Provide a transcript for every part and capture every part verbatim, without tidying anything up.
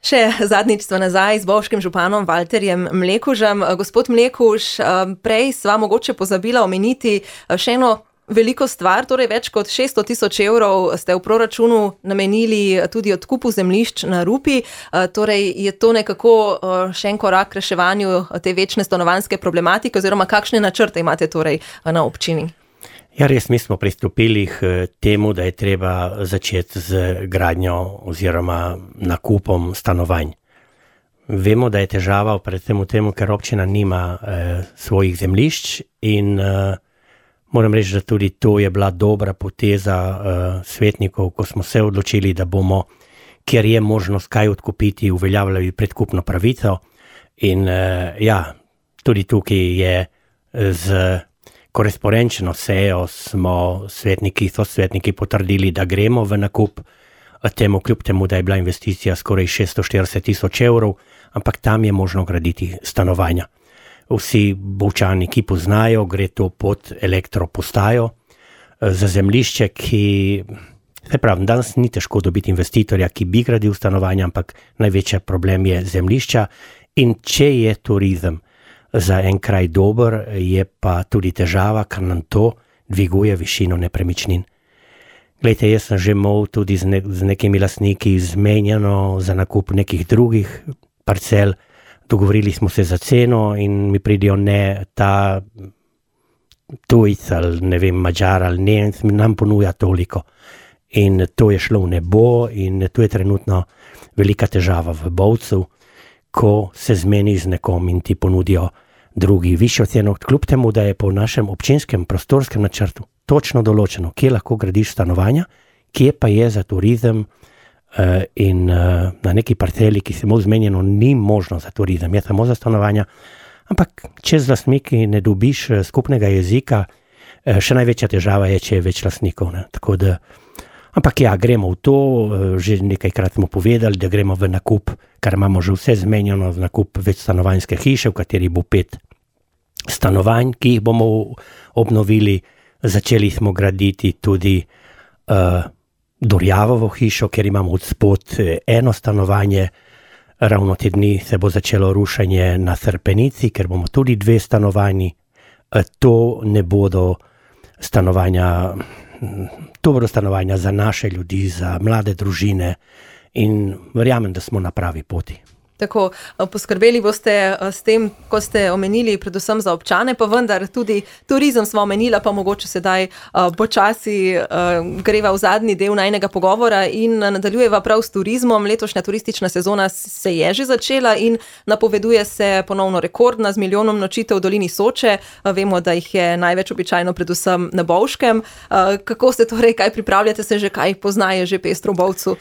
Še zadnjič sva nazaj z bovškim županom Valterjem Mlekužem. Gospod Mlekuž, prej sva mogoče pozabila omeniti še eno veliko stvar, torej več kot šeststo tisoč evrov ste v proračunu namenili tudi odkupu zemljišč na Rupi. Torej je to nekako še en korak k reševanju te večne stanovanjske problematike oziroma kakšne načrte imate torej na občini? Ja, res, mi smo pristopili k temu, da je treba začeti z gradnjo oziroma nakupom stanovanj. Vemo, da je težava predvsem v temu, ker občina nima eh, svojih zemljišč in eh, moram reči, da tudi to je bila dobra poteza uh, svetnikov, ko smo se odločili, da bomo, kjer je možnost kaj odkupiti, uveljavljali predkupno pravico. In uh, ja, tudi tukaj je z korespondenčno sejo smo svetniki, so svetniki potrdili, da gremo v nakup temu, kljub temu, da je bila investicija skoraj šeststo štirideset tisoč evrov, ampak tam je možno graditi stanovanja. Vsi Bovčani, ki poznajo, gre to pod elektropostajo za zemljišče, ki, se pravi, danes ni težko dobiti investitorja, ki bi gradil stanovanja, ampak največji problem je zemljišča in če je turizem za en kraj dober, je pa tudi težava, ker nam to dviguje višino nepremičnin. Glejte, jaz sem že imel tudi z, ne, z nekimi lastniki zmenjeno za nakup nekih drugih parcel. Dogovorili smo se za ceno in mi pridijo ne ta tujc ali ne vem, Mađar ali Nemec, nam ponuja toliko. In to je šlo v nebo in to je trenutno velika težava v Bovcu, ko se zmeni z nekom in ti ponudijo drugi višjo ceno, kljub temu, da je po našem občinskem prostorskem načrtu točno določeno, kje lahko gradiš stanovanja, kje pa je za turizem. Uh, in uh, na neki parceli, ki se mu zmenjeno, ni možno za turizem, je samo za stanovanja, ampak če z lastniki ne dobiš uh, skupnega jezika, uh, še največja težava je, če je več lastnikov. Ne? Tako da, ampak ja, gremo v to, uh, že nekajkrat smo povedali, da gremo v nakup, kar imamo že vse zmenjeno, v nakup več stanovanjske hiše, v kateri bo pet stanovanj, ki jih bomo obnovili. Začeli smo graditi tudi uh, Dorjavovo hišo, ker imamo od spod eno stanovanje, ravno te dni se bo začelo rušenje na Srpenici, ker bomo tudi dve stanovanji. To ne bodo stanovanja, to bodo stanovanja za naše ljudi, za mlade družine in verjamem, da smo na pravi poti. Tako, poskrbeli boste s tem, ko ste omenili predvsem za občane, pa vendar tudi turizem smo omenila, pa mogoče sedaj počasi greva v zadnji del najnega pogovora in nadaljujeva prav s turizmom. Letošnja turistična sezona se je že začela in napoveduje se ponovno rekordna z milijonom nočitev v dolini Soče. Vemo, da jih je največ običajno predvsem na Bovškem. Kako ste torej, kaj pripravljate se že, kaj poznaje že pestro v Bovcu?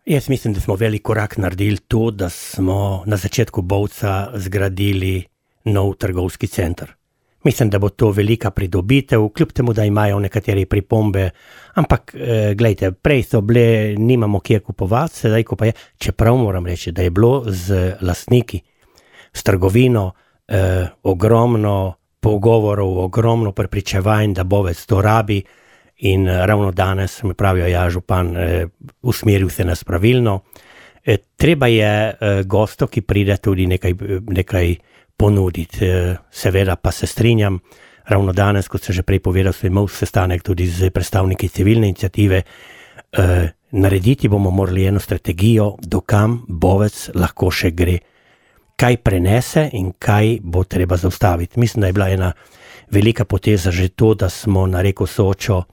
Jaz mislim, da smo velik korak naredili to, da smo na začetku Bovca zgradili nov trgovski center. Mislim, da bo to velika pridobitev, kljub temu, da imajo nekatere pripombe, ampak eh, gledajte, prej so bile, nimamo kje kupovati, sedaj ko pa je, čeprav moram reči, da je bilo z lastniki, s trgovino, eh, ogromno pogovorov, ogromno prepričevanj, da Bovec to rabi. In ravno danes mi pravijo, ja, župan, eh, usmeril se nas pravilno. Eh, treba je eh, gosto, ki pride tudi nekaj, nekaj ponuditi. Eh, seveda pa se strinjam, ravno danes, kot sem že prej povedal, sem imel sestanek tudi z predstavniki civilne iniciative. Eh, narediti bomo morali eno strategijo, dokam Bovec lahko še gre. Kaj prenese in kaj bo treba zaustaviti. Mislim, da je bila ena velika poteza že to, da smo na reko Sočo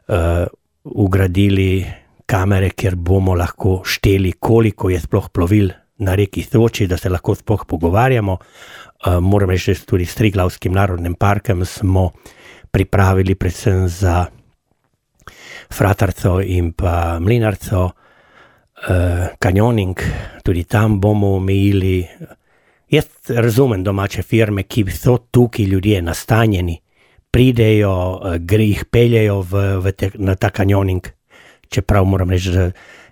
Uh, ugradili kamere, kjer bomo lahko šteli, koliko je sploh plovil na reki Soči, da se lahko sploh pogovarjamo. Uh, moram reči, da tudi s Triglavskim narodnim parkom smo pripravili predvsem za Fratarco in pa Mlinarco uh, kanjoning, tudi tam bomo omejili. Jaz razumem domače firme, ki so tukaj ljudje nastanjeni, pridejo, gre jih peljejo v, v te, na ta kanjoning, čeprav moram reči, da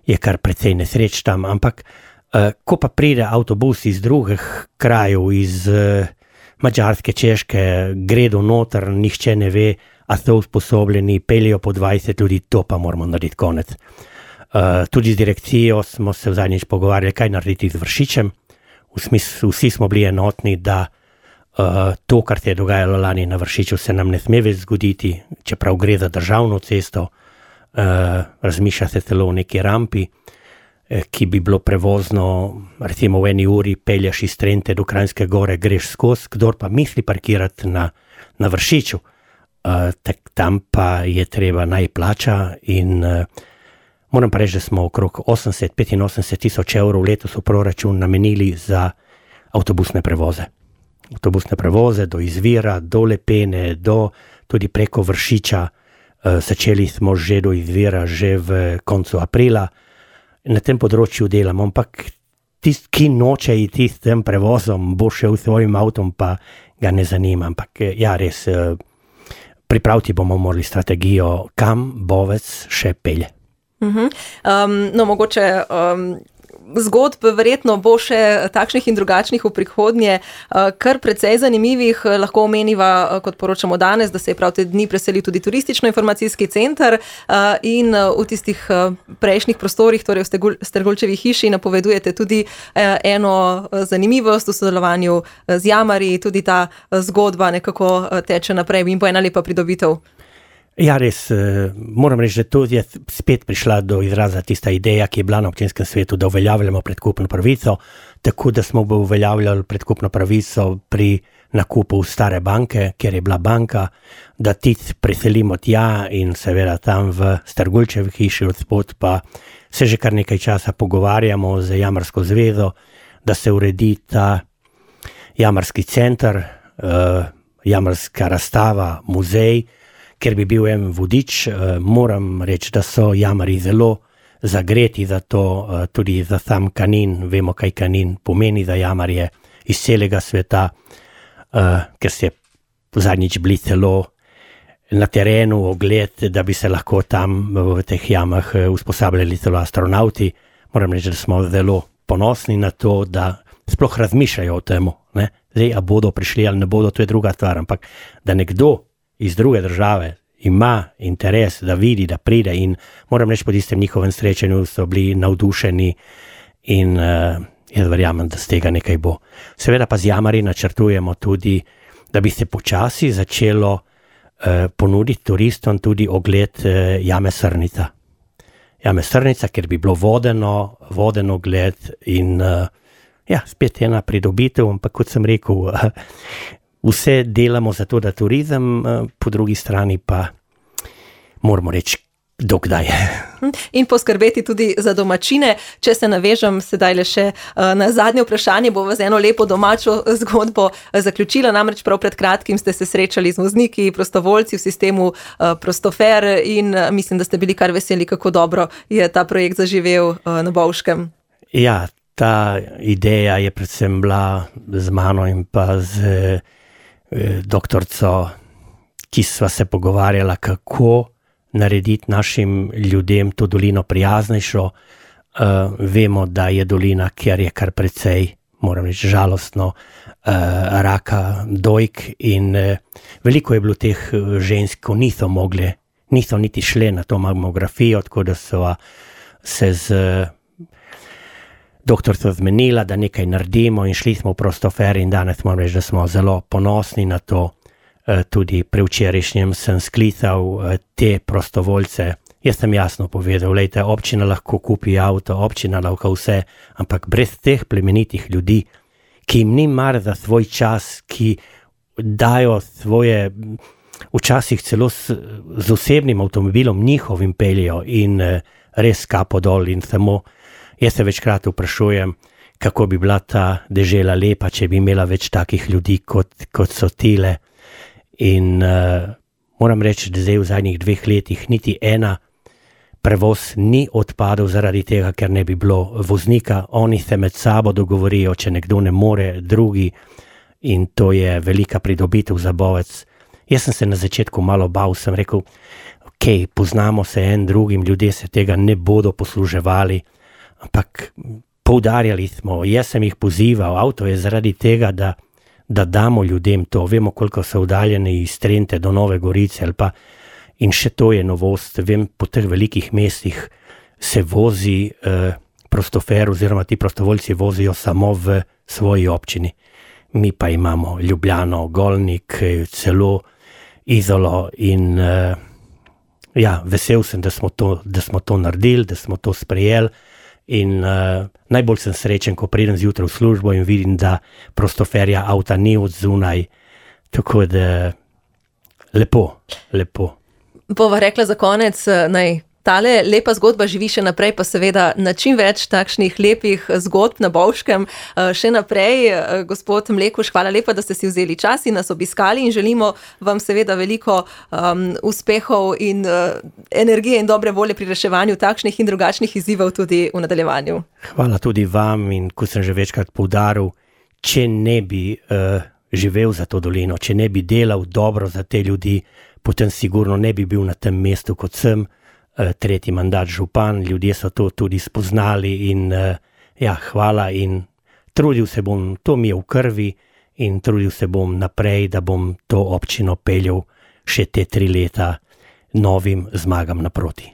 je kar precej nesreč tam, ampak uh, ko pa pride avtobus iz drugih krajev, iz uh, Mađarske, Češke, gredo noter, nihče ne ve, a so usposobljeni, peljejo po dvajset ljudi, to pa moramo narediti konec. Uh, tudi z direkcijo smo se zadnjič pogovarjali, kaj narediti z Vršičem. V smislu, vsi smo bili enotni, da uh, to, kar se je dogajalo lani na Vršiču, se nam ne sme več zgoditi, čeprav gre za državno cesto. Uh, razmišlja se celo o neki rampi, eh, ki bi bilo prevozno, recimo v eni uri pelješ iz Trente do Kranjske Gore, greš skozi, kdor pa misli parkirati na, na Vršiču, uh, tak, tam pa je treba naj plača in uh, moram pa reči, da smo okrog osemdeset do petinosemdeset tisoč evrov letos v proračun namenili za avtobusne prevoze. Avtobusne prevoze do Izvira, do Lepene, do tudi preko Vršiča. Uh, začeli smo že do Izvira, že v koncu aprila. Na tem področju delamo, ampak tist, ki noče iti s tem prevozom, bo šel s svojim avtom, pa ga ne zanima. Ampak ja, res, uh, pripraviti bomo morali strategijo, kam Bovec še pelje. Uh-huh. Um, no, mogoče um, zgodb verjetno bo še takšnih in drugačnih v prihodnje, uh, kar precej zanimivih. Lahko omeniva, uh, kot poročamo danes, da se je prav te dni preselil tudi turistično-informacijski center uh, in uh, v tistih uh, prejšnjih prostorih, torej v Strgulčevi hiši, napovedujete tudi uh, eno uh, zanimivost v sodelovanju uh, z Jamarji, tudi ta uh, zgodba nekako uh, teče naprej in bo ena lepa pridobitev. Ja, res, moram reči, da tu je spet prišla do izraza tista ideja, ki je bila na občinskem svetu, da uveljavljamo predkupno pravico, tako da smo uveljavljali predkupno pravico pri nakupu stare banke, kjer je bila banka, da tic preselimo tja in seveda tam v Strgulčevi hiši odspod pa se že kar nekaj časa pogovarjamo z Jamarsko zvezo, da se uredi ta Jamarski center, uh, Jamarska razstava, muzej, ker bi bil en vodič. Moram reči, da so Jamarji zelo zagreti za to, tudi za sam Kanin. Vemo, kaj Kanin pomeni za Jamarje iz celega sveta, ker se zadnjič bili celo na terenu ogled, da bi se lahko tam v teh jamah usposabljali celo astronauti. Moram reči, da smo zelo ponosni na to, da sploh razmišljajo o tem. Zdaj, a bodo prišli ali ne bodo, to je druga stvar, ampak da nekdo iz druge države ima interes, da vidi, da pride in moram reči, po tistem njihovem srečanju so bili navdušeni in uh, jaz verjamem, da z tega nekaj bo. Seveda pa z Jamarji načrtujemo tudi, da bi se počasi začelo uh, ponuditi turistom tudi ogled uh, jame Srnica. Jame Srnica, ker bi bilo vodeno, voden ogled in uh, ja, spet ena pridobitev, ampak kot sem rekel, uh, vse delamo za to, da turizem, po drugi strani pa moramo reči, dokdaj. In poskrbeti tudi za domačine. Če se navežem sedaj le še na zadnje vprašanje, bo z eno lepo domačo zgodbo zaključila. Namreč prav pred kratkim ste se srečali z vozniki, prostovoljci v sistemu Prostofer in mislim, da ste bili kar veseli, kako dobro je ta projekt zaživel na Bovškem. Ja, ta ideja je predvsem bila z mano in pa z doktorico, ki sva se pogovarjala, kako narediti našim ljudem to dolino prijaznejšo. Uh, vemo, da je dolina, kjer je kar precej, moram reči, žalostno, uh, raka dojk in uh, veliko je bilo teh žensk, ko niso mogli, niso niti šle na to mamografijo, tako da so se z doktorico zmenila, da nekaj naredimo in šli smo v Prostofer in danes moram reči, da smo zelo ponosni na to. Tudi prevčerajšnjem sem sklical te prostovoljce. Jaz sem jasno povedal, lejte, občina lahko kupi avto, občina lahko vse, ampak brez teh plemenitih ljudi, ki jim ni mar za svoj čas, ki dajo svoje, včasih celo s, z osebnim avtomobilom njihovim peljejo in res kapo dol in samo jaz se večkrat vprašujem, kako bi bila ta dežela lepa, če bi imela več takih ljudi, kot, kot so tile. In uh, moram reči, da zdaj v zadnjih dveh letih niti ena prevoz ni odpadel zaradi tega, ker ne bi bilo voznika. Oni se med sabo dogovorijo, če nekdo ne more, drugi, in to je velika pridobitev za Bovec. Jaz sem se na začetku malo bal, sem rekel, ok, poznamo se en drugim, ljudje se tega ne bodo posluževali, ampak poudarjali smo, jaz sem jih pozival, avto je zaradi tega, da da damo ljudem to, vemo, koliko so oddaljeni iz Trente do Nove Gorice, ali pa, in še to je novost, vem, po teh velikih mestih se vozi uh, prostofer oziroma ti prostovoljci vozijo samo v svoji občini. Mi pa imamo Ljubljano, Golnik, celo Izolo in uh, ja, vesel sem, da smo, to, da smo to naredili, da smo to sprejeli in uh, najbolj sem srečen, ko pridem zjutraj v službo in vidim, da prostoferja avta ni od zunaj, tako da lepo, lepo. Bova rekla za konec, naj tale lepa zgodba živi še naprej, pa seveda na čim več takšnih lepih zgodb na Bovškem. Še naprej, gospod Mlekuž, hvala lepa, da ste si vzeli čas in nas obiskali in želimo vam seveda veliko um, uspehov in uh, energije in dobre volje pri reševanju takšnih in drugačnih izzivov tudi v nadaljevanju. Hvala tudi vam in ko sem že večkrat poudaril, če ne bi uh, živel za to dolino, če ne bi delal dobro za te ljudi, potem sigurno ne bi bil na tem mestu, kot sem, tretji mandat župan, ljudje so to tudi spoznali in ja, hvala in trudil se bom, to mi je v krvi in trudil se bom naprej, da bom to občino peljal še te tri leta novim zmagam naproti.